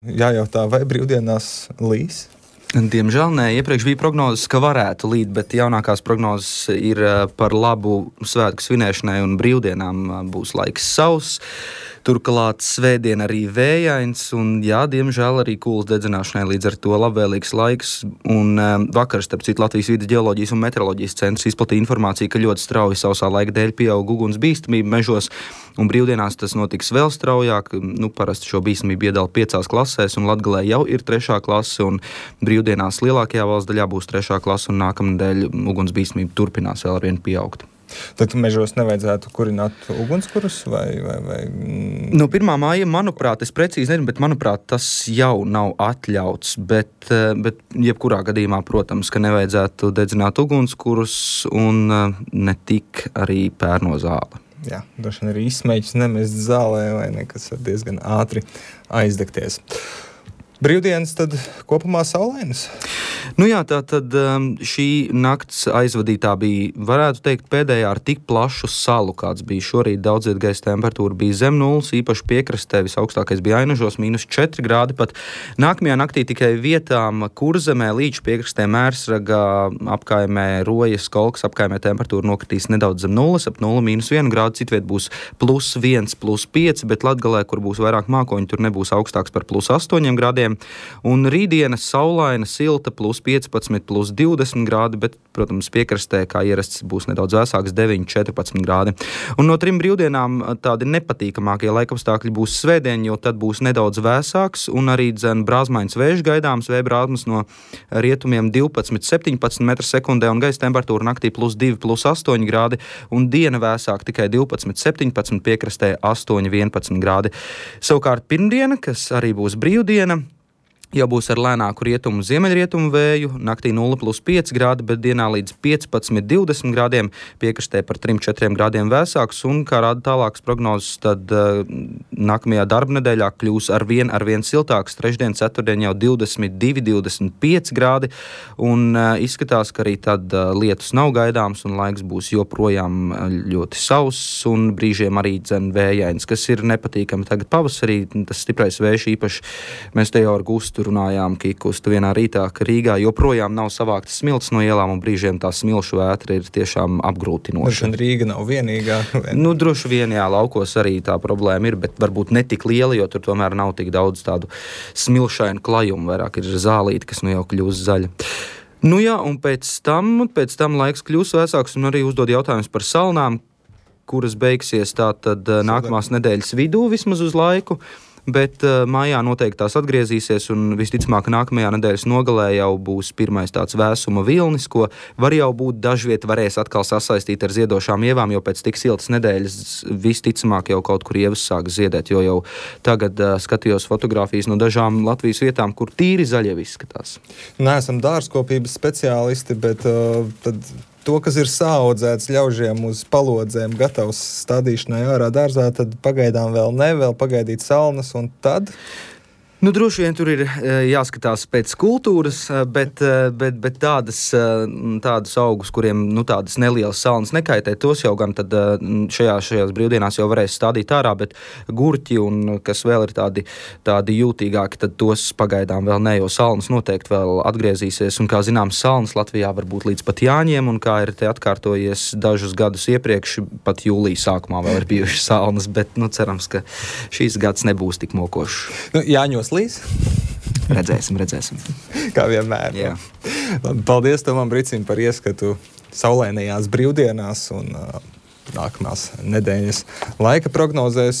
Jājautā, vai brīvdienās līs? Diemžēl nē, iepriekš bija prognozes, ka varētu līt, bet jaunākās prognozes ir par labu svētku svinēšanai un brīvdienām būs laiks sauss. Turklāt svētdien arī vējains un, jā, diemžēl arī kūlas dedzināšanai līdz ar to labvēlīgs laiks. Un vakar, starp citu, Latvijas vides ģeoloģijas un meteoroloģijas centrs izplatīja informāciju, ka ļoti strauji sausā laika dēļ pieaug uguns bīstamība mežos, un brīvdienās tas notiks vēl straujāk. Parasti šo bīstamību iedala 5 klasēs, un Latgalē jau ir 3. klase, un brīvdienās lielākajā valsts daļā būs 3. klase, un nākamnedēļ uguns bīstamība turpinās vēl arvien pieaugt. Tad mežos nevajadzētu kurināt ugunskurus vai? 1. māja, manuprāt, es precīzi nezinu, bet manuprāt, tas jau nav atļauts, bet jebkurā gadījumā, protams, ka nevajadzētu dedzināt ugunskurus un ne tik arī pērno zāli. Jā, droši vien arī izsmeļus nemest zālē vai nekas var diezgan ātri aizdegties. Brīvdienas tad kopumā saulainas? Jā, tā tad šī nakts aizvadītā bija, varētu teikt, pēdējā ar tik plašu salu, kāds bija šorīt. Daudziet gaisa temperatūra bija zem nulles, īpaši piekrastē visaugstākais bija Ainažos, -4 grādi. Pat nākamajā naktī tikai vietām Kurzemē, Līča piekrastē, Mērsragā, apkaimē, Rojas, Kolkas apkaimē temperatūra nokritīs nedaudz zem nulles, ap 0,-1 grādu, citviet būs +1, +5, bet Latgalē, kur būs vairāk mākoņu, tur nebūs augstāks par +8 grādiem. Un rītdiena saulaina, silta, +15, +20 grādi, bet, protams, piekrastē, kā ierasts, būs nedaudz vēsāks, 9-14 grādi. Un no 3 brīvdienām tādi nepatīkamākie laikapstākļi būs svētdien, jo tad būs nedaudz vēsāks, un arī brāzmains vējš gaidāms, vēja brāzmas no rietumiem 12-17 m/sekundē, un gaisa temperatūra naktī +2, +8 grādi, un diena vēsāk tikai 12-17, piekrastē 8-11 grādi. Savukārt pirmdiena, kas arī būs brīvdiena, jau būs ar lēnāku rietumu ziemeļrietumu vēju, naktī 0,+5 grādi, bet dienā līdz 15-20 grādiem, piekrastē par 3-4 grādiem vēsāks, un, kā rāda tālākas prognozes, tad nākamajā darba nedēļā kļūs arvien siltāks. Trešdien, ceturtdien jau 22-25 grādi, un izskatās, ka arī tad lietus nav gaidāms, un laiks būs joprojām ļoti sauss, un brīžiem arī vējains, kas ir nepatīkami. Tagad pavasarī tas stiprais vējš īpaši, mēs te jau ar Gustu runājām, Kikustu vienā rītā, ka Rīgā joprojām nav savāktas smilts no ielām, un brīžiem tā smilšu vētra ir tiešām apgrūtinoša. Rīga nav vienīgā. Droši vien, jā, laukos arī tā problēma ir, bet varbūt ne tik liela, jo tur tomēr nav tik daudz tādu smilšainu klajumu, vairāk ir zālīti, kas jau kļūst zaļa. Jā, un pēc tam laiks kļūs vēsāks, un arī uzdod jautājumus par salnām, kuras beigsies tātad nākamās nedēļas vidū vismaz uz laiku. Bet mājā noteikti tās atgriezīsies, un visticamāk nākamajā nedēļas nogalē jau būs pirmais tāds vēsuma vilnis, ko var jau būt dažviet varēs atkal sasaistīt ar ziedošām ievām, jo pēc tik siltas nedēļas visticamāk jau kaut kur ievas sāks ziedēt, jo jau tagad skatījos fotogrāfijas no dažām Latvijas vietām, kur tīri zaļie izskatās. Neesam dārzkopības speciālisti, bet tad to, kas ir saaudzēts ļaužiem uz palodzēm, gatavs stādīšanai ārā dārzā, tad pagaidām vēl pagaidīt salnas, un tad? Droši vien tur ir jāskatās pēc kultūras, bet tādus augus, kuriem tādas nelielas salnas nekaitē, tos jau gan tad šajās brīvdienās jau varēs stādīt ārā, bet gurķi un kas vēl ir tādi jūtīgāki, tad tos pagaidām vēl ne, jo salnas noteikti vēl atgriezīsies, un kā zināms, salnas Latvijā var būt līdz pat Jāņiem, un kā ir te atkārtojies dažus gadus iepriekš, pat jūlija sākumā vēl ir bijušas salnas, bet cerams, ka šīs gads nebūs tik mokošs. Jāņos līs? Redzēsim. Kā vienmēr. Jā. Paldies Tomam Bricim par ieskatu saulainajās brīvdienās un nākamās nedēļas laika prognozēs.